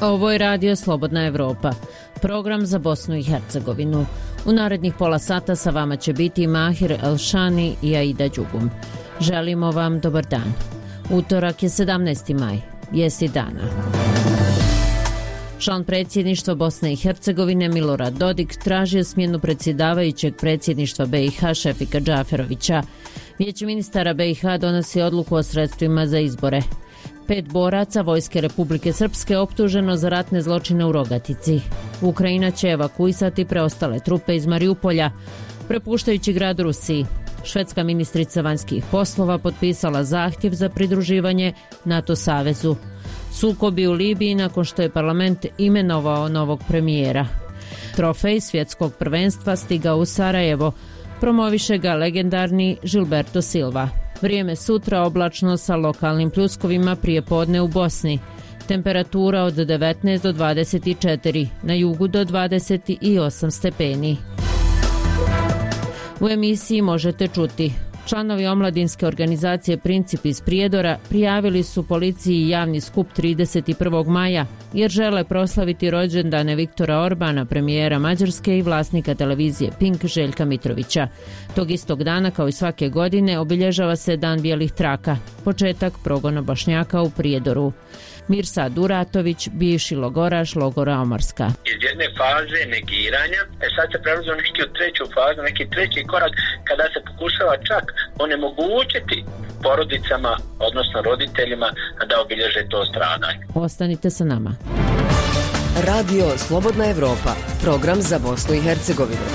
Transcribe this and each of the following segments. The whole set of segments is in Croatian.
Ovo je Radio Slobodna Evropa, program za Bosnu i Hercegovinu. U narednih pola sata sa vama će biti Mahir Elšani i Aida Đugum. Želimo vam dobar dan. Utorak je 17. maj, vijesti dana. Član predsjedništva Bosne i Hercegovine Milorad Dodik tražio smjenu predsjedavajućeg predsjedništva BiH Šefika Džaferovića. Vijeće ministara BiH donosi odluku o sredstvima za izbore. 5 boraca Vojske Republike Srpske optuženo za ratne zločine u Rogatici. Ukrajina će evakuisati preostale trupe iz Mariupolja, prepuštajući grad Rusiji. Švedska ministrica vanjskih poslova potpisala zahtjev za pridruživanje NATO savezu. Sukobi u Libiji nakon što je parlament imenovao novog premijera. Trofej svjetskog prvenstva stigao u Sarajevo, promoviše ga legendarni Gilberto Silva. Vrijeme sutra oblačno sa lokalnim pljuskovima prije podne u Bosni. Temperatura od 19 do 24, na jugu do 28 stepeni. U emisiji možete čuti: članovi omladinske organizacije Princip iz Prijedora prijavili su policiji javni skup 31. maja jer žele proslaviti rođendane Viktora Orbana, premijera Mađarske i vlasnika televizije Pink Željka Mitrovića. Tog istog dana, kao i svake godine, obilježava se Dan bijelih traka, početak progona Bošnjaka u Prijedoru. Mirsad Uratović, bivši logoraš logora Omorska. Iz jedne faze negiranja, sad se prelazi u treću fazu, neki treći korak kada se pokušava čak onemogućiti porodicama, odnosno roditeljima, da obilježe to stradanje. Ostanite sa nama. Radio Slobodna Evropa, program za Bosnu i Hercegovinu.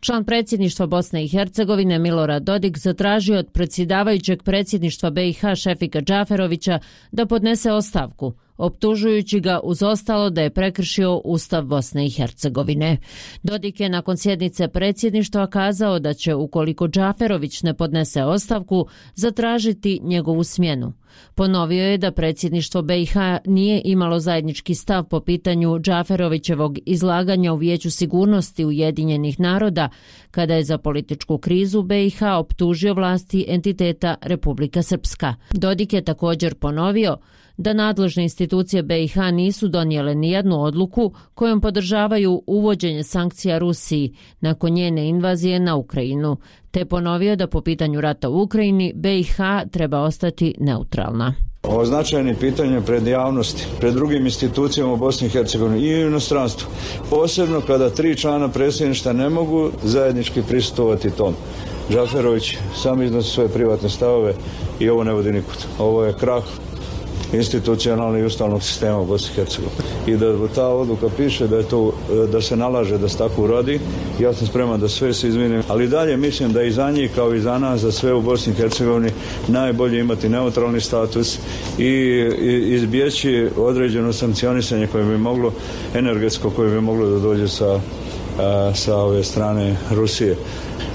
Član predsjedništva Bosne i Hercegovine Milorad Dodik zatražio od predsjedavajućeg predsjedništva BiH Šefika Džaferovića da podnese ostavku, optužujući ga uz ostalo da je prekršio Ustav Bosne i Hercegovine. Dodik je nakon sjednice predsjedništva kazao da će, ukoliko Džaferović ne podnese ostavku, zatražiti njegovu smjenu. Ponovio je da predsjedništvo BiH nije imalo zajednički stav po pitanju Džaferovićevog izlaganja u Vijeću sigurnosti Ujedinjenih naroda, kada je za političku krizu BiH optužio vlasti entiteta Republika Srpska. Dodik je također ponovio da nadležne institucije BiH nisu donijele nijednu odluku kojom podržavaju uvođenje sankcija Rusiji nakon njene invazije na Ukrajinu, te ponovio da po pitanju rata u Ukrajini BiH treba ostati neutralna. Ovo značajno pitanje pred javnosti, pred drugim institucijama u Bosni i Hercegovini i u inostranstvu. Posebno kada 3 člana predsjedništva ne mogu zajednički prisustvovati tom. Džaferović sam iznosi svoje privatne stavove i ovo ne vodi nikud. Ovo je krah institucionalnog i ustavnog sistema u Bosni i Hercegovini. I da ta odluka piše da se nalaže da se tako uradi, ja sam spreman da sve se izvinim, ali dalje mislim da i za njih kao i za nas, za sve u Bosni i Hercegovini, najbolje imati neutralni status i izbjeći određeno sankcionisanje koje bi moglo, energetsko koje bi moglo da dođe sa ove strane Rusije.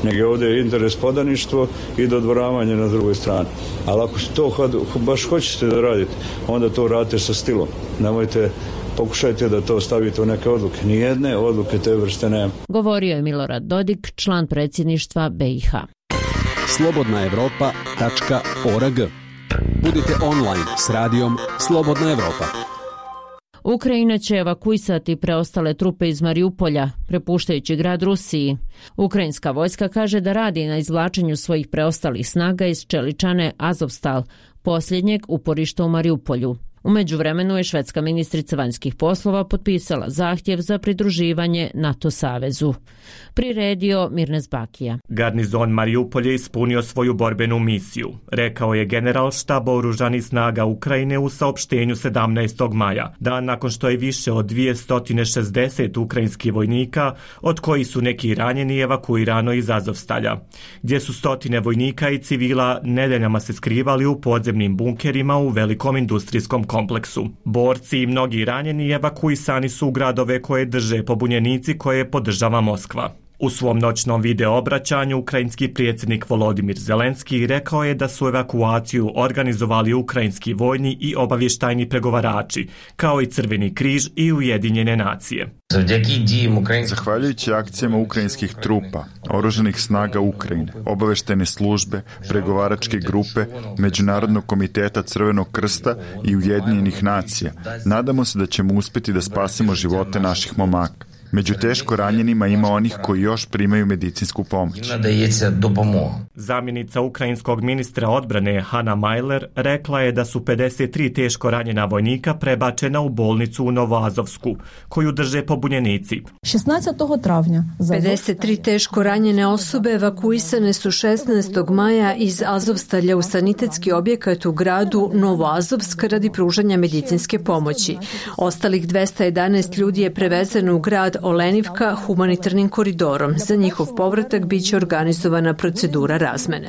Nego ovdje je interes podaništvo i dodvoravanje na drugoj strani. Ali ako to baš hoćete da radite, onda to radite sa stilom. Nemojte, pokušajte da to stavite u neke odluke. Nijedne odluke te vrste nema. Govorio je Milorad Dodik, član predsjedništva BiH. slobodnaevropa.org. Budite online s radijom Slobodna Evropa. Ukrajina će evakuisati preostale trupe iz Mariupolja, prepuštajući grad Rusiji. Ukrajinska vojska kaže da radi na izvlačenju svojih preostalih snaga iz čeličane Azovstal, posljednjeg uporišta u Mariupolju. U međuvremenu je švedska ministrica vanjskih poslova potpisala zahtjev za pridruživanje NATO savezu. Priredio Mirnes Bakija. Garnizon Mariupolje ispunio svoju borbenu misiju, rekao je general štaba oružanih snaga Ukrajine u saopštenju 17. maja, dan nakon što je više od 260 ukrajinskih vojnika, od kojih su neki ranjeni, evakuirano iz Azovstalja, gdje su stotine vojnika i civila nedeljama se skrivali u podzemnim bunkerima u velikom industrijskom kompleksu. Borci i mnogi ranjeni evakuisani su u gradove koje drže pobunjenici koje podržava Moskva. U svom noćnom video obraćanju ukrajinski predsjednik Volodimir Zelenski rekao je da su evakuaciju organizovali ukrajinski vojni i obavještajni pregovarači, kao i Crveni križ i Ujedinjene nacije. Zahvaljujući akcijama ukrajinskih trupa, oružanih snaga Ukrajine, obavještajne službe, pregovaračke grupe, Međunarodnog komiteta Crvenog krsta i Ujedinjenih nacija, nadamo se da ćemo uspjeti da spasimo živote naših momaka. Među teško ranjenima ima onih koji još primaju medicinsku pomoć. Zamjenica ukrajinskog ministra odbrane Hanna Mailer rekla je da su 53 teško ranjena vojnika prebačena u bolnicu u Novoazovsku, koju drže pobunjenici. 53 teško ranjene osobe evakuisane su 16. maja iz Azovstalja u sanitetski objekat u gradu Novoazovsk radi pružanja medicinske pomoći. Ostalih 211 ljudi je prevezeno u grad Olenivka humanitarnim koridorom. Za njihov povratak biće organizovana procedura razmene.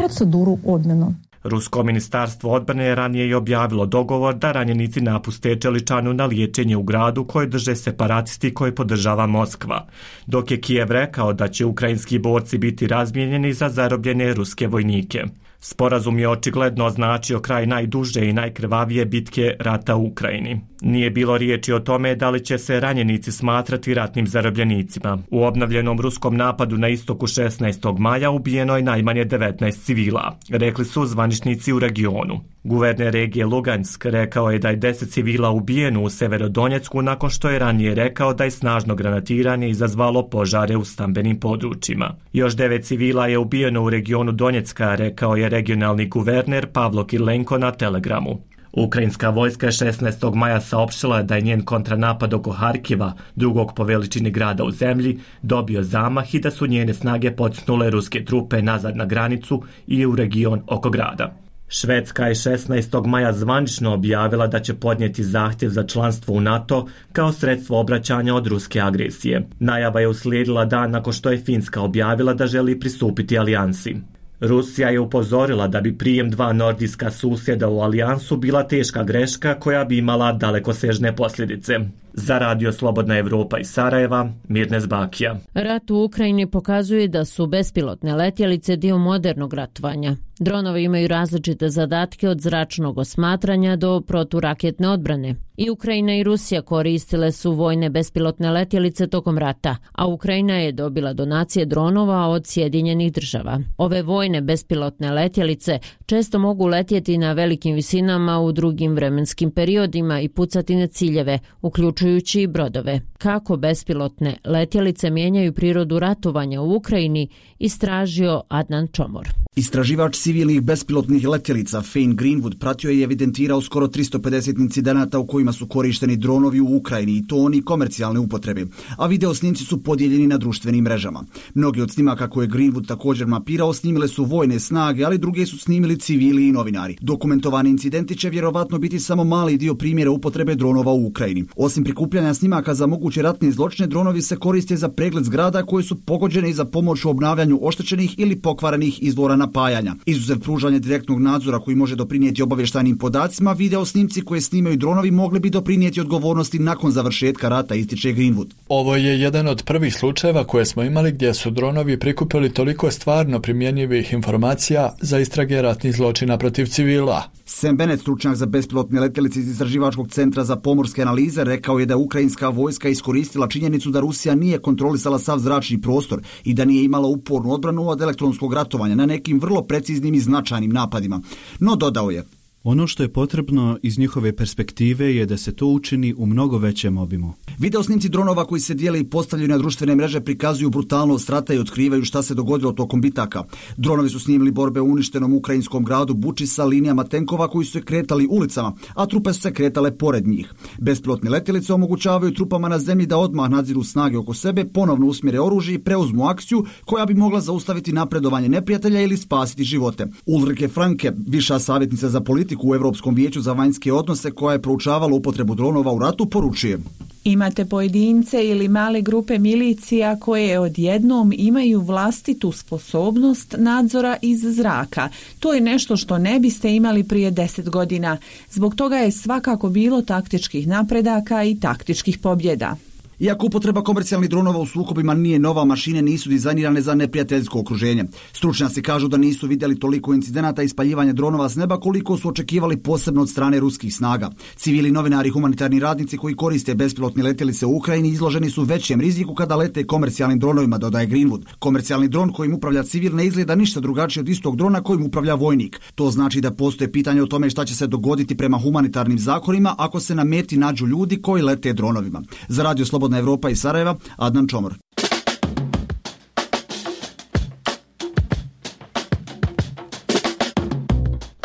Rusko ministarstvo odbrane je ranije i objavilo dogovor da ranjenici napuste Čeličanu na liječenje u gradu koje drže separatisti koje podržava Moskva, dok je Kijev rekao da će ukrajinski borci biti razmijenjeni za zarobljene ruske vojnike. Sporazum je očigledno označio kraj najduže i najkrvavije bitke rata u Ukrajini. Nije bilo riječi o tome da li će se ranjenici smatrati ratnim zarobljenicima. U obnovljenom ruskom napadu na istoku 16. maja ubijeno je najmanje 19 civila, rekli su zvaničnici u regionu. Guverner regije Lugansk rekao je da je 10 civila ubijeno u Severodonjecku nakon što je ranije rekao da je snažno granatiranje izazvalo požare u stambenim područjima. Još 9 civila je ubijeno u regionu Donjecka, rekao je regionalni guverner Pavlo Kirilenko na Telegramu. Ukrajinska vojska je 16. maja saopštila da je njen kontranapad oko Harkiva, drugog po veličini grada u zemlji, dobio zamah i da su njene snage potisnule ruske trupe nazad na granicu i u region oko grada. Švedska je 16. maja zvanično objavila da će podnijeti zahtjev za članstvo u NATO kao sredstvo obraćanja od ruske agresije. Najava je uslijedila dan nakon što je Finska objavila da želi pristupiti alijansi. Rusija je upozorila da bi prijem 2 nordijska susjeda u alijansu bila teška greška koja bi imala dalekosežne posljedice. Za Radio Slobodna Evropa iz Sarajeva, Mirnes Bakija. Rat u Ukrajini pokazuje da su bespilotne letjelice dio modernog ratovanja. Dronovi imaju različite zadatke od zračnog osmatranja do proturaketne odbrane. I Ukrajina i Rusija koristile su vojne bespilotne letjelice tokom rata, a Ukrajina je dobila donacije dronova od Sjedinjenih država. Ove vojne bespilotne letjelice često mogu letjeti na velikim visinama u drugim vremenskim periodima i pucati na ciljeve, uključujući i brodove. Kako bespilotne letjelice mijenjaju prirodu ratovanja u Ukrajini, istražio Adnan Čomor. Istraživač civilnih bespilotnih letjelica Fane Greenwood pratio je i evidentirao skoro 350 incidenata u kojima su korišteni dronovi u Ukrajini i to oni komercijalne upotrebe, a video snimci su podijeljeni na društvenim mrežama. Mnogi od snimaka koje je Greenwood također mapirao snimile su vojne snage, ali druge su snimili civili i novinari. Dokumentovani incidenti će vjerovatno biti samo mali dio primjera upotrebe dronova u Ukrajini. Osim prikupljanja snimaka za moguće ratne zločine, dronovi se koriste za pregled zgrada koje su pogođene i za pomoć u obnavljanju oštećenih ili pokvarenih izvora napajanja. Izuzev pružanja direktnog nadzora koji može doprinijeti obavještajnim podacima, video snimci koje snimaju dronovi mogli bi doprinijeti odgovornosti nakon završetka rata, ističe Greenwood. Ovo je jedan od prvih slučajeva koje smo imali gdje su dronovi prikupili toliko stvarno primjenjivih informacija za istrage ratnih zločina protiv civila. Sam Bennett, stručnjak za bespilotne letjelice iz Istraživačkog centra za pomorske analize, rekao je da ukrajinska vojska iskoristila činjenicu da Rusija nije kontrolisala sav zračni prostor i da nije imala upornu odbranu od elektronskog ratovanja na nekim vrlo preciznim i značajnim napadima. No, dodao je: ono što je potrebno iz njihove perspektive je da se to učini u mnogo većem obimu. Video snimci dronova koji se dijele i postavljaju na društvene mreže prikazuju brutalnost rata i otkrivaju šta se dogodilo tokom bitaka. Dronovi su snimili borbe u uništenom ukrajinskom gradu Buči sa linijama tenkova koji su se kretali ulicama, a trupe su se kretale pored njih. Bespilotne letjelice omogućavaju trupama na zemlji da odmah nadziru snage oko sebe, ponovno usmjere oružje i preuzmu akciju koja bi mogla zaustaviti napredovanje neprijatelja ili spasiti živote. Ulrike Franke, viša savjetnica za politiku u Europskom vijeću za vanjske odnose koja je proučavala upotrebu dronova u ratu, poručuje: imate pojedince ili male grupe milicija koje odjednom imaju vlastitu sposobnost nadzora iz zraka. To je nešto što ne biste imali prije 10 godina. Zbog toga je svakako bilo taktičkih napredaka i taktičkih pobjeda. Iako upotreba komercijalnih dronova u sukobima nije nova, mašine nisu dizajnirane za neprijateljsko okruženje. Stručnjaci kažu da nisu vidjeli toliko incidenata ispaljivanja dronova s neba koliko su očekivali, posebno od strane ruskih snaga. Civili, novinari i humanitarni radnici koji koriste bespilotne letjelice u Ukrajini izloženi su većem riziku kada lete komercijalnim dronovima, dodaje Greenwood. Komercijalni dron kojim upravlja civil ne izgleda ništa drugačije od istog drona kojim upravlja vojnik. To znači da postoje pitanje o tome šta će se dogoditi prema humanitarnim zakonima ako se na meti nađu ljudi koji lete dronovima. Za Radio Slobodna Evropa iz Sarajeva, Adnan Čomor.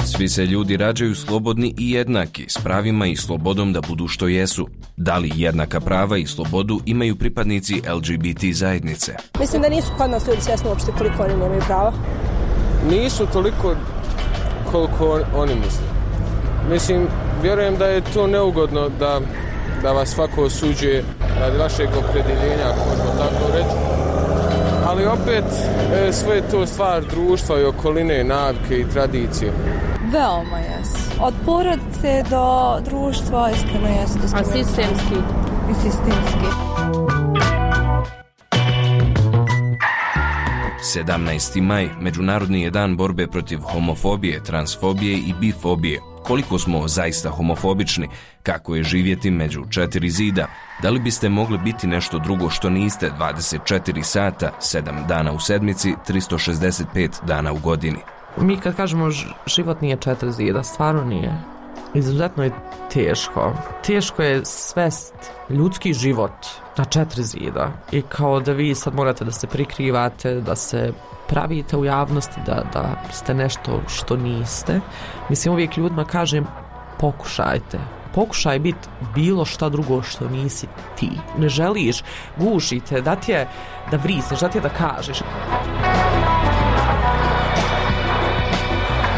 Svi se ljudi rađaju slobodni i jednaki, s pravima i slobodom da budu što jesu. Da li jednaka prava i slobodu imaju pripadnici LGBT zajednice? Mislim da nisu kod nas ljudi svjesni uopšte koliko oni nemaju prava. Nisu toliko koliko oni misle. Mislim, vjerujem da je to neugodno da vas svako osuđuje radi vašeg opredjeljenja, ako možemo tako reći. Ali opet sve je to stvar društva i okoline, navike i tradicije. Veoma jesu. Od porodice do društva iskreno jesu. A sistemski? I sistemski. 17. maj, Međunarodni je dan borbe protiv homofobije, transfobije i bifobije. Koliko smo zaista homofobični, kako je živjeti među 4 zida, da li biste mogli biti nešto drugo što niste 24 sata, 7 dana u sedmici, 365 dana u godini? Mi kad kažemo život nije 4 zida, stvarno nije. Izuzetno je teško. Teško je svest ljudski život na 4 zida. I kao da vi sad morate da se prikrivate, da se pravite u javnosti, da ste nešto što niste. Mislim, uvijek ljudima kažem, pokušajte. Pokušaj biti bilo šta drugo što nisi ti. Ne želiš, gušite, da ti je da vrisneš, da ti je da kažeš.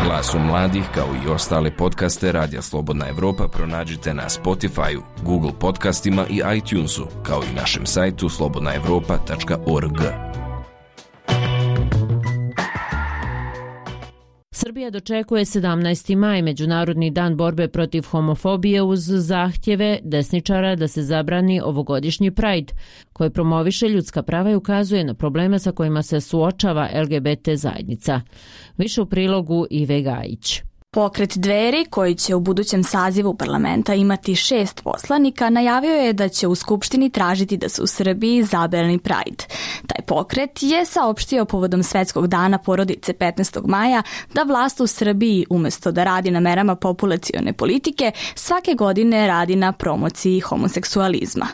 Glasu mladih, kao i ostale podcaste Radija Slobodna Evropa pronađite na Spotify-u, Google podcastima i iTunesu, kao i našem sajtu slobodnaevropa.org. Srbija dočekuje 17. maj, Međunarodni dan borbe protiv homofobije, uz zahtjeve desničara da se zabrani ovogodišnji Pride, koji promoviše ljudska prava i ukazuje na probleme sa kojima se suočava LGBT zajednica. Više u prilogu Ive Gajić. Pokret Dveri, koji će u budućem sazivu parlamenta imati 6 poslanika, najavio je da će u Skupštini tražiti da se u Srbiji zabrani Pride. Taj pokret je saopštio povodom Svetskog dana porodice 15. maja da vlast u Srbiji, umjesto da radi na merama populacione politike, svake godine radi na promociji homoseksualizma.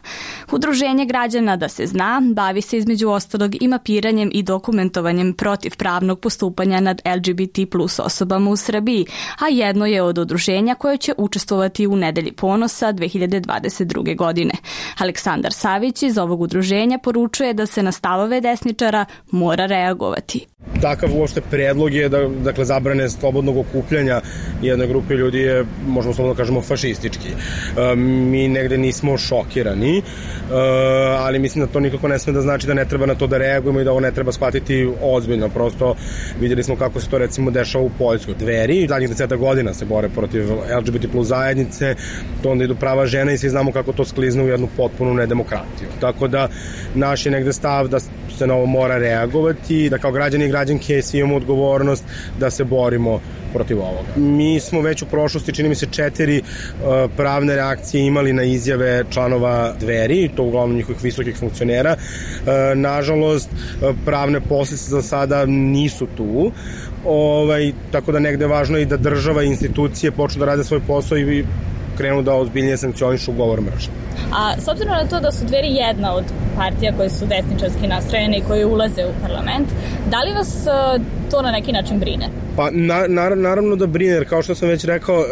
Udruženje građana Da se zna bavi se između ostalog i mapiranjem i dokumentovanjem protiv pravnog postupanja nad LGBT plus osobama u Srbiji, a jedno je od udruženja koje će učestvovati u Nedelji ponosa 2022. godine. Aleksandar Savić iz ovog udruženja poručuje da se na stavove desničara mora reagovati. Takav uopšte predlog je da zabrane slobodnog okupljanja jedne grupe ljudi je, možemo slobodno kažemo, fašistički. Mi negde nismo šokirani, ali mislim da to nikako ne sme da znači da ne treba na to da reagujemo i da ovo ne treba shvatiti ozbiljno. Prosto vidjeli smo kako se to recimo dešava u Poljskoj. Dveri zadnjih 10 godina se bore protiv LGBT plus zajednice, to onda idu prava žena i svi znamo kako to sklizne u jednu potpunu nedemokratiju. Tako da naš je negde stav da se na ovo mora reagovati, da kao građani i građanke svi imamo odgovornost da se borimo protiv ovoga. Mi smo već u prošlosti, čini mi se, 4 pravne reakcije imali na izjave članova Dveri, to uglavnom njihovih visokih funkcionera. Nažalost, pravne posljedice za sada nisu tu, tako da negde važno je i da država i institucije počnu da rade svoj posao i krenu da ozbiljnije sankcionišu govor mržnje. A s obzirom na to da su Dveri jedna od partija koje su desničarski nastrojene i koje ulaze u parlament, da li vas to na neki način brine? Pa naravno da brine, jer kao što sam već rekao,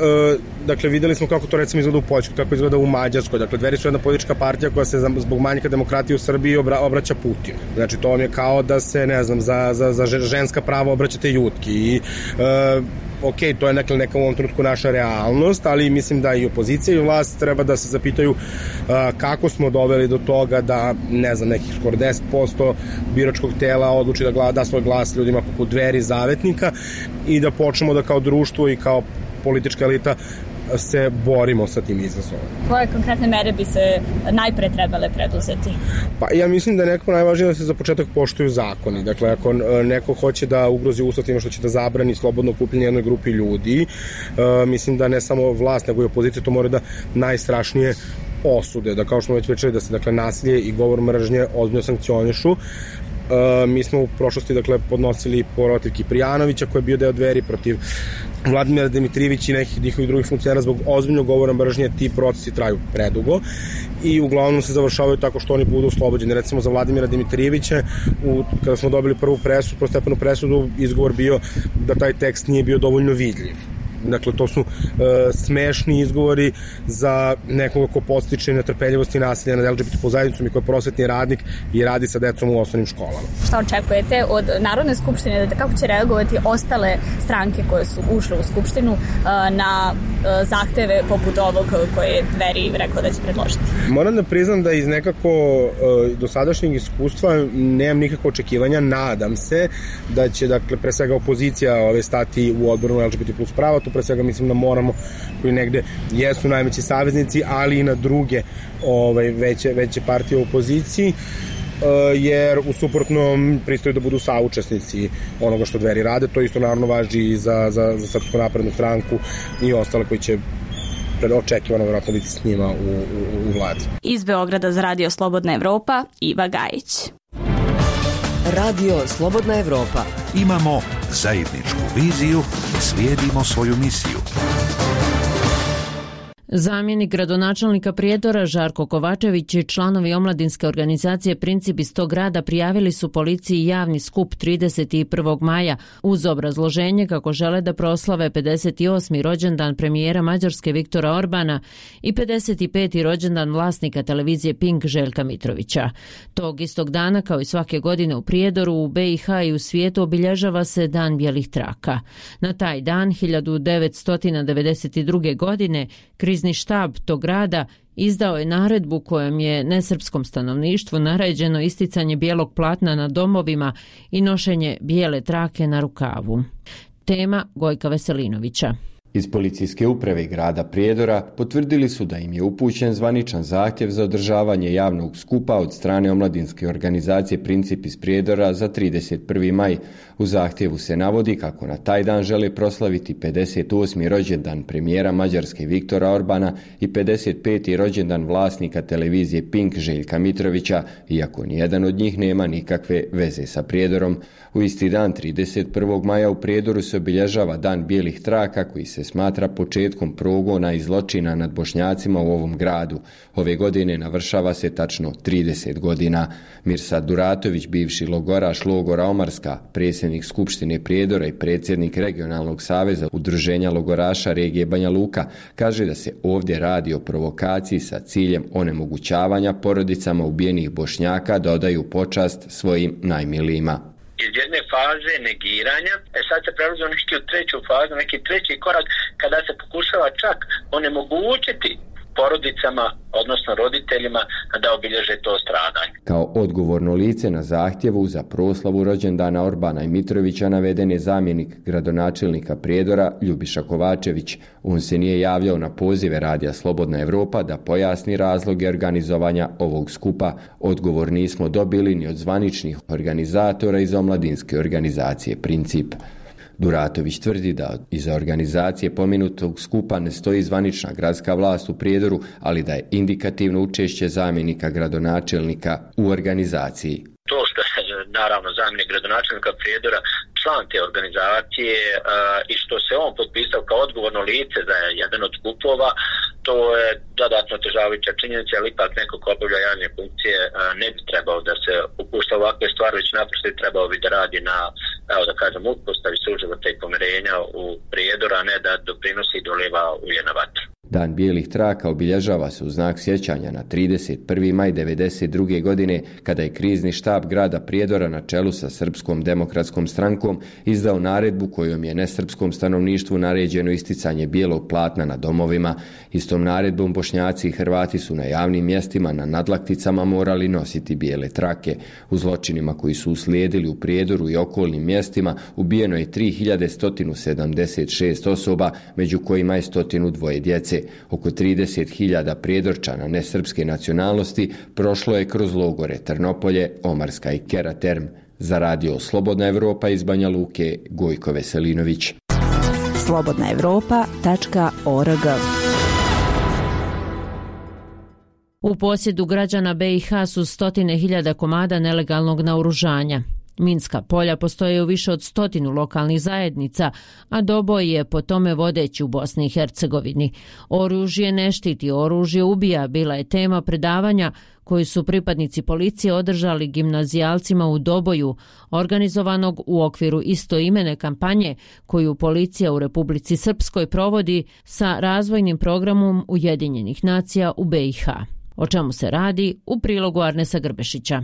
dakle videli smo kako to recimo izgleda u Poljskoj, kako izgleda u Mađarskoj. Dakle, Dveri su jedna politička partija koja se zbog manjka demokratije u Srbiji obraća Putinu. Znači to vam je kao da se, ne znam, za ženska prava obraćate Jutki i ok, to je neka u ovom trenutku naša realnost, ali mislim da i opozicija i vlast treba da se zapitaju kako smo doveli do toga da, ne znam, nekih skoro 10% biračkog tela odluči da da svoj glas ljudima poput Dveri, Zavetnika, i da počnemo da kao društvo i kao politička elita se borimo sa tim izazovom. Koje konkretne mere bi se najpre trebale preduzeti? Pa ja mislim da je nekako najvažnije da se za početak poštuju zakoni. Dakle, ako neko hoće da ugrozi ustav time što će da zabrani slobodno okupljanje jednoj grupi ljudi, mislim da ne samo vlast, nego i opozicija to mora da najstrašnije osude, da kao što smo već pričali da se dakle nasilje i govor mržnje ozbiljno sankcionišu. Mi smo u prošlosti dakle podnosili protiv Kiprijanovića koji je bio deo Dveri, protiv Vladimira Dimitrijevića i nekih njihovih drugih funkcionera zbog ozbiljnog govora mržnje. Ti procesi traju predugo i uglavnom se završavaju tako što oni budu oslobođeni. Recimo za Vladimira Dimitrijevića kada smo dobili prvu prvostepenu presudu, izgovor bio da taj tekst nije bio dovoljno vidljiv. Dakle, to su smešni izgovori za nekoga ko podstiče netrpeljivost i nasilje nad LGBT zajednicom i ko je prosvetni radnik i radi sa decom u osnovnim školama. Šta očekujete od Narodne skupštine, kako će reagovati ostale stranke koje su ušle u skupštinu na zahteve poput ovog koje je Dveri rekao da će predložiti? Moram da priznam da iz nekako dosadašnjeg iskustva nemam nikakve očekivanja. Nadam se da će, dakle, pre svega opozicija stati u odboru LGBT plus prava. Pre svega mislim da moramo, koji negde jesu najveći saveznici, ali i na druge veće partije u opoziciji, jer u suprotnom pristaju da budu saučesnici onoga što Dveri rade. To isto naravno važi i za Srpsku naprednu stranku i ostale koji će očekivano vjerojatno biti s njima u vladi. Iz Beograda za Radio Slobodna Evropa, Iva Gajić. Radio Slobodna Evropa. Imamo zajedničku viziju, slijedimo svoju misiju. Zamjenik gradonačelnika Prijedora Žarko Kovačević i članovi omladinske organizacije Princip iz tog grada prijavili su policiji javni skup 31. maja uz obrazloženje kako žele da proslave 58. rođendan premijera Mađarske Viktora Orbana i 55. rođendan vlasnika televizije Pink Željka Mitrovića. Tog istog dana, kao i svake godine u Prijedoru, u BiH i u svijetu obilježava se Dan bijelih traka. Na taj dan 1992. godine krizni štab tog grada izdao je naredbu kojom je nesrpskom stanovništvu naređeno isticanje bijelog platna na domovima i nošenje bijele trake na rukavu. Tema Gojka Veselinovića. Iz policijske uprave grada Prijedora potvrdili su da im je upućen zvaničan zahtjev za održavanje javnog skupa od strane omladinske organizacije Princip iz Prijedora za 31. maj. U zahtjevu se navodi kako na taj dan žele proslaviti 58. rođendan premijera Mađarske Viktora Orbana i 55. rođendan vlasnika televizije Pink Željka Mitrovića, iako nijedan od njih nema nikakve veze sa Prijedorom. U isti dan 31. maja u Prijedoru se obilježava Dan bijelih traka koji se smatra početkom progona i zločina nad Bošnjacima u ovom gradu. Ove godine navršava se tačno 30 godina. Mirsad Duratović, bivši logoraš logora Omarska, predsjednik Skupštine Prijedora i predsjednik Regionalnog saveza Udruženja logoraša regije Banja Luka, kaže da se ovdje radi o provokaciji sa ciljem onemogućavanja porodicama ubijenih Bošnjaka da odaju počast svojim najmilijima. Iz jedne faze negiranja, sad se prelazi u treću fazu, neki treći korak kada se pokušava čak onemogućiti porodicama, odnosno roditeljima, da obilježe to stradanje. Kao odgovorno lice na zahtjevu za proslavu rođendana Orbana i Mitrovića naveden je zamjenik gradonačelnika Prijedora Ljubiša Kovačević. On se nije javljao na pozive Radija Slobodna Evropa da pojasni razloge organizovanja ovog skupa. Odgovor nismo dobili ni od zvaničnih organizatora iz omladinske organizacije Princip. Duratović tvrdi da iza organizacije pomenutog skupa ne stoji zvanična gradska vlast u Prijedoru, ali da je indikativno učešće zamjenika gradonačelnika u organizaciji. To što je naravno zamjenik gradonačelnika Prijedora član te organizacije i što se on potpisao kao odgovorno lice za jedan od skupova, to je dodatno otežavajuća činjenica, ali ipak neko ko obavlja javne funkcije ne bi trebao da se upušta ovakve stvari, već naprosto trebao bi da radi na, evo da kažem, uspostavi suživota i pomirenja u Prijedoru, a ne da doprinosi i doliva ulje na vatru. Dan bijelih traka obilježava se u znak sjećanja na 31. maj 1992. godine kada je krizni štab grada Prijedora na čelu sa Srpskom demokratskom strankom izdao naredbu kojom je nesrpskom stanovništvu naređeno isticanje bijelog platna na domovima. Istom naredbom Bošnjaci i Hrvati su na javnim mjestima na nadlakticama morali nositi bijele trake. U zločinima koji su uslijedili u Prijedoru i okolnim mjestima ubijeno je 3176 osoba, među kojima je 102 djece. Oko 30.000 Prijedorčana nesrpske nacionalnosti prošlo je kroz logore Trnopolje, Omarska i Keraterm. Za radio Slobodna Evropa iz Banja Luke, Gojko Veselinović. slobodnaevropa.org. U posjedu građana BiH su 100.000 komada nelegalnog naoružanja. Minska polja postoje u više od 100 lokalnih zajednica, a doboj je po tome vodeći u Bosni i Hercegovini. Oružje ne štiti, oružje ubija bila je tema predavanja koji su pripadnici policije održali gimnazijalcima u Doboju, organizovanog u okviru istoimene kampanje koju policija u Republici Srpskoj provodi sa razvojnim programom Ujedinjenih nacija u BiH. O čemu se radi u prilogu Arnesa Grbešića.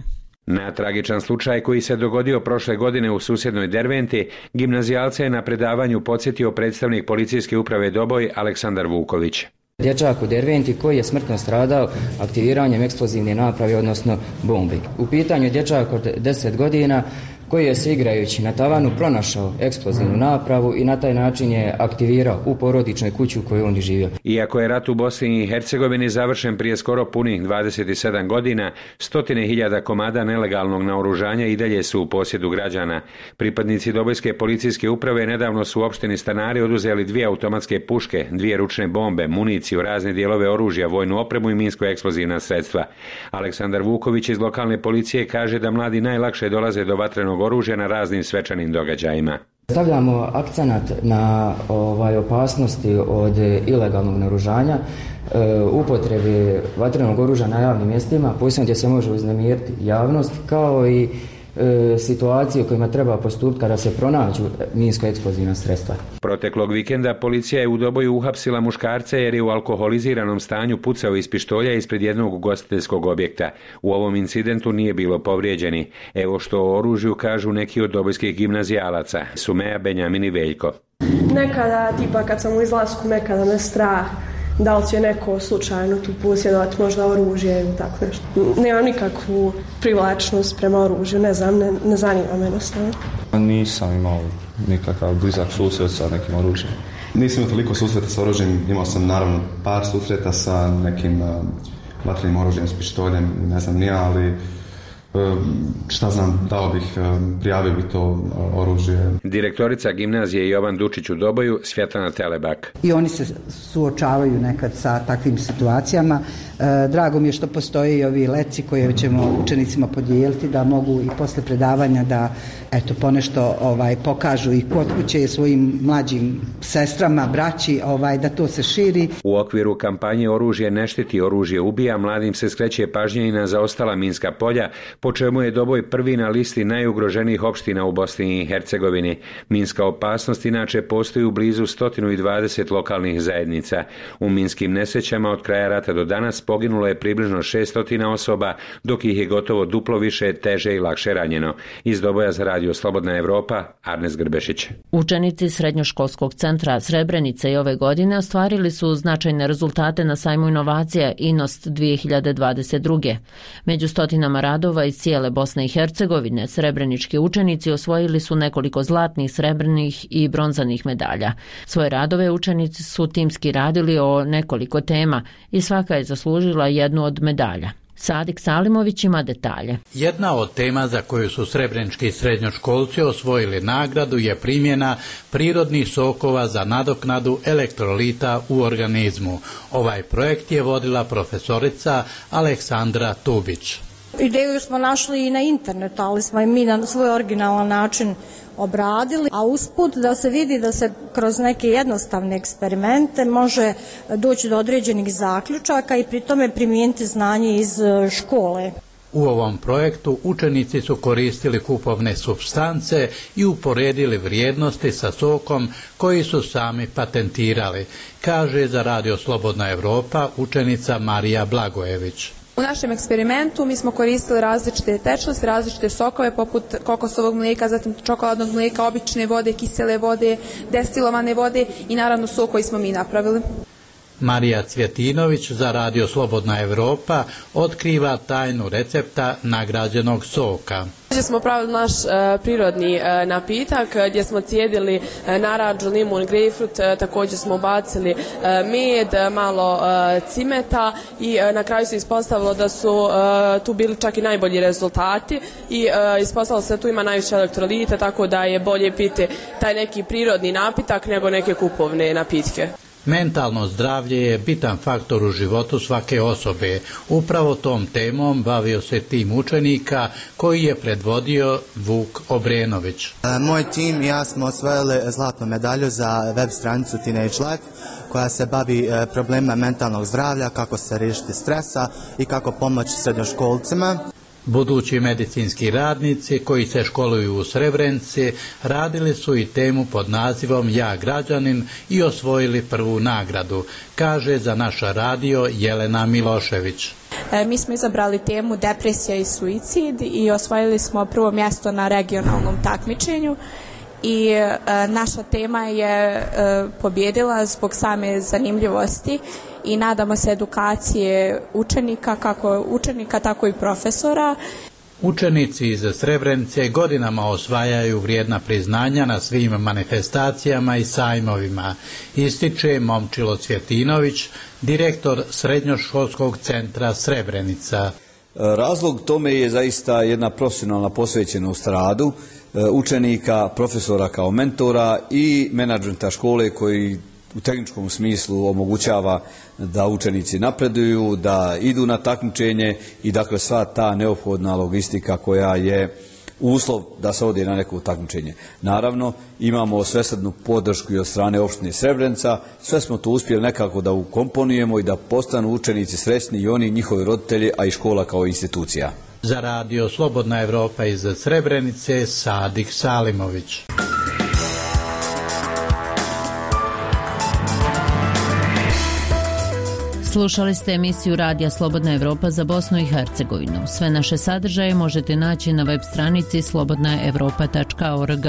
Na tragičan slučaj koji se dogodio prošle godine u susjednoj Derventi, gimnazijalce je na predavanju podsjetio predstavnik policijske uprave Doboj Aleksandar Vuković. Dječak u Derventi koji je smrtno stradao aktiviranjem eksplozivne naprave, odnosno bombi. U pitanju je dječak od 10 godina koji je se igrajući na tavanu pronašao eksplozivnu napravu i na taj način je aktivirao u porodičnoj kući u kojoj on živio. Iako je rat u Bosni i Hercegovini završen prije skoro punih 27 godina, 100.000 komada nelegalnog naoružanja i dalje su u posjedu građana. Pripadnici Dobojske policijske uprave nedavno su u opštini Stanari oduzeli 2 automatske puške, 2 ručne bombe, municiju, razne dijelove oružja, vojnu opremu i minsko-eksplozivna sredstva. Aleksandar Vuković iz lokalne policije kaže da mladi najlakše dolaze do vatrenog oružja na raznim svečanim događajima. Stavljamo akcenat na opasnosti od ilegalnog naoružanja, upotrebe vatrenog oružja na javnim mjestima, posebno gdje se može uznemiriti javnost, kao i situacije u kojima treba postupiti kada se pronađu minsko-eksplozivna sredstva. Proteklog vikenda policija je u Doboju uhapsila muškarca jer je u alkoholiziranom stanju pucao iz pištolja ispred jednog ugostiteljskog objekta. U ovom incidentu nije bilo povrijeđeni. Evo što o oružju kažu neki od dobojskih gimnazijalaca, Sumeja, Benjamin i Veljko. Nekada, tipa kad sam u izlasku, nekada me strah da li će neko slučajno tu posjedovati možda oružje ili tako nešto. Nemam nikakvu privlačnost prema oružju, ne znam, ne zanima me jednostavno. Nisam imao nikakav blizak susret sa nekim oružjem. Nisam imao toliko susreta sa oružjem, imao sam naravno par susreta sa nekim vatrenim oružjem, s pištoljem, ne znam nija, ali šta znam, dao bih, prijavio bi to oružje. Direktorica gimnazije Jovan Dučić u Doboju, Svjetlana Telebak. I oni se suočavaju nekad sa takvim situacijama. Drago mi je što postoje i ovi leci koje ćemo učenicima podijeliti da mogu i posle predavanja da ponešto pokažu i kod kuće svojim mlađim sestrama, braći, da to se širi. U okviru kampanje Oružje ne štiti, oružje ubija, mladim se skreće pažnja i na zaostala minska polja, po čemu je Doboj prvi na listi najugroženijih opština u Bosni i Hercegovini. Minska opasnost inače postoji u blizu 120 lokalnih zajednica. U minskim nesrećama od kraja rata do danas poginulo je približno 600 osoba, dok ih je gotovo duplo više teže i lakše ranjeno. Iz Doboja za radio Slobodna Evropa, Arnes Grbešić. Učenici Srednjoškolskog centra Srebrenice i ove godine ostvarili su značajne rezultate na sajmu inovacija INOST 2022. Među stotinama radova iz cijele Bosne i Hercegovine, srebrenički učenici osvojili su nekoliko zlatnih, srebrnih i bronzanih medalja. Svoje radove učenici su timski radili o nekoliko tema i svaka je zaslužila jednu od medalja. Sadik Salimović ima detalje. Jedna od tema za koju su srebrenički srednjoškolci osvojili nagradu je primjena prirodnih sokova za nadoknadu elektrolita u organizmu. Ovaj projekt je vodila profesorica Aleksandra Tubić. Ideju smo našli i na internetu, ali smo i mi na svoj originalan način obradili, a usput da se vidi da se kroz neke jednostavne eksperimente može doći do određenih zaključaka i pri tome primijeniti znanje iz škole. U ovom projektu učenici su koristili kupovne supstance i uporedili vrijednosti sa sokom koji su sami patentirali, kaže za Radio Slobodna Evropa učenica Marija Blagojević. U našem eksperimentu mi smo koristili različite tečnosti, različite sokove poput kokosovog mlijeka, zatim čokoladnog mlijeka, obične vode, kisele vode, destilovane vode i naravno sok koji smo mi napravili. Marija Cvjetinović za Radio Slobodna Evropa otkriva tajnu recepta nagrađenog soka. Smo pravili naš prirodni napitak gdje smo cijedili naranču, limun, grejpfrut, također smo ubacili med, malo cimeta i na kraju se ispostavilo da su tu bili čak i najbolji rezultati i ispostavilo se da tu ima najviše elektrolita, tako da je bolje piti taj neki prirodni napitak nego neke kupovne napitke. Mentalno zdravlje je bitan faktor u životu svake osobe. Upravo tom temom bavio se tim učenika koji je predvodio Vuk Obrenović. Moj tim i ja smo osvojili zlatnu medalju za web stranicu Teenage Life koja se bavi problemima mentalnog zdravlja, kako se riješiti stresa i kako pomoći srednjoškolcima. Budući medicinski radnici koji se školuju u Srebrenici radili su i temu pod nazivom Ja građanin i osvojili prvu nagradu, kaže za naš radio Jelena Milošević. Mi smo izabrali temu depresija i suicid i osvojili smo prvo mjesto na regionalnom takmičenju. I naša tema je pobjedila zbog same zanimljivosti i nadamo se edukacije učenika, kako učenika tako i profesora. Učenici iz Srebrenice godinama osvajaju vrijedna priznanja na svim manifestacijama i sajmovima, ističe Momčilo Cvjetinović, direktor Srednjoškolskog centra Srebrenica. Razlog tome je zaista jedna profesionalna posvećenost radu učenika, profesora kao mentora i menadžmenta škole koji u tehničkom smislu omogućava da učenici napreduju, da idu na takmičenje i dakle sva ta neophodna logistika koja je uslov da se ode na neko takmičenje. Naravno, imamo svesrdnu podršku i od strane opštine Srebrenica, sve smo to uspjeli nekako da ukomponujemo i da postanu učenici sretni i oni i njihovi roditelji, a i škola kao institucija. Za Radio Slobodna Evropa iz Srebrenice, Sadik Salimović. Slušali ste emisiju Radija Slobodna Evropa za Bosnu i Hercegovinu. Sve naše sadržaje možete naći na web stranici slobodnaevropa.org.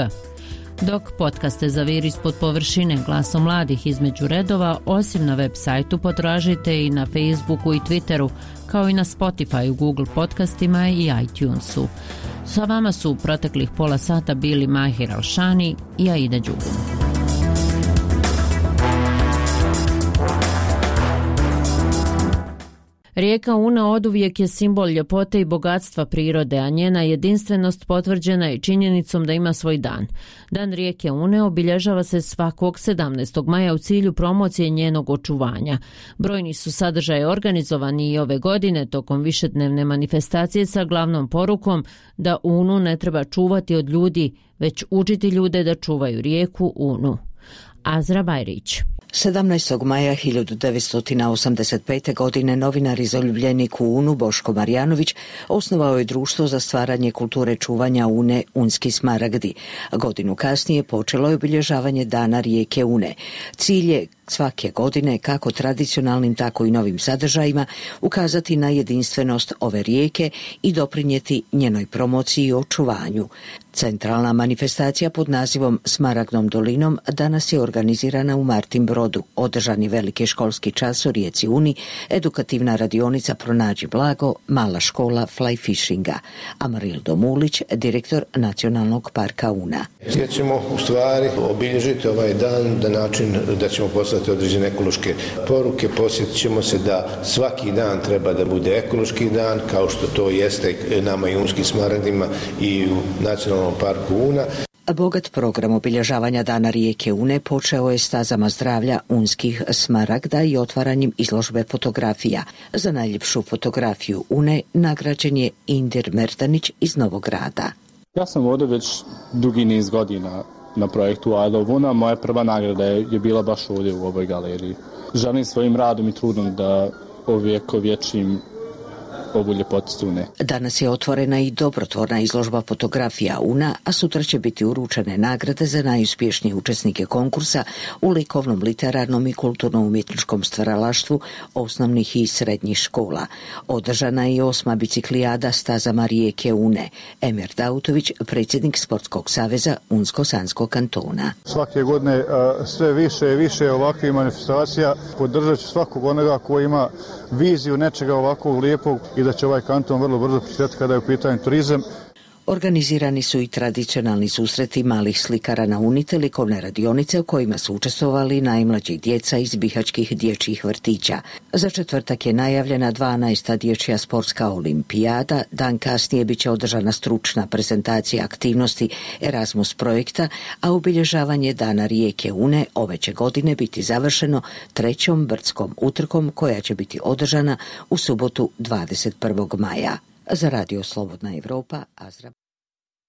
Dok podcaste Zaviri ispod površine glasom mladih između redova, osim na web sajtu potražite i na Facebooku i Twitteru, kao i na Spotify, Google podcastima i iTunesu. Sa vama su u proteklih pola sata bili Mahir Alšani i Aida Đugun. Rijeka Una oduvijek je simbol ljepote i bogatstva prirode, a njena jedinstvenost potvrđena je činjenicom da ima svoj dan. Dan rijeke Une obilježava se svakog 17. maja u cilju promocije njenog očuvanja. Brojni su sadržaji organizovani i ove godine tokom višednevne manifestacije sa glavnom porukom da Unu ne treba čuvati od ljudi, već učiti ljude da čuvaju rijeku Unu. Azra Bajrić. 17. maja 1985. godine novinar i zaljubljenik u Unu Boško Marjanović osnovao je društvo za stvaranje kulture čuvanja Une Unski smaragdi. Godinu kasnije počelo je obilježavanje dana rijeke Une. Cilj je svake godine, kako tradicionalnim, tako i novim sadržajima, ukazati na jedinstvenost ove rijeke i doprinijeti njenoj promociji i očuvanju. Centralna manifestacija pod nazivom Smaragdnom dolinom danas je organizirana u Martin Brodu. Održan je veliki školski čas o rijeci Uni, edukativna radionica Pronađi blago, mala škola fly fishinga. Amarildo Mulić, direktor Nacionalnog parka Una. Gdje ćemo u stvari obilježiti ovaj dan na način da ćemo poslati određene ekološke poruke. Posjetit ćemo se da svaki dan treba da bude ekološki dan, kao što to jeste nama i unskim smaragdima i u Nacionalnom parku Una. Bogat program obilježavanja dana rijeke Une počeo je stazama zdravlja unskih smaragda i otvaranjem izložbe fotografija. Za najljepšu fotografiju Une nagrađen je Indir Merdanić iz Novog Grada. Ja sam ovdje već dugi niz godina na projektu I Love Una. Moja prva nagrada je bila baš ovdje u ovoj galeriji. Želim svojim radom i trudom da ovjekovječim ovu ljepotu Une. Danas je otvorena i dobrotvorna izložba fotografija Una, a sutra će biti uručene nagrade za najuspješnije učesnike konkursa u likovnom, literarnom i kulturno-umjetničkom stvaralaštvu osnovnih i srednjih škola. Održana je i 8. biciklijada stazama rijeke Une. Emir Dautović, predsjednik Sportskog saveza Unsko-Sanskog kantona. Svake godine sve više i više ovakvih manifestacija. Podržat ću svakog onoga koji ima viziju nečega ovakvog lijepog i da će ovaj kanton vrlo brzo prisjetiti kada je u pitanju turizam. Organizirani su i tradicionalni susreti malih slikara na Uni te likovne radionice u kojima su učestvovali najmlađi djeca iz bihaćkih dječjih vrtića. Za četvrtak je najavljena 12. dječja sportska olimpijada, dan kasnije bit će održana stručna prezentacija aktivnosti Erasmus projekta, a obilježavanje dana rijeke Une ove će godine biti završeno 3. brdskom utrkom koja će biti održana u subotu 21. maja. Za Radio Slobodna Evropa, Azra.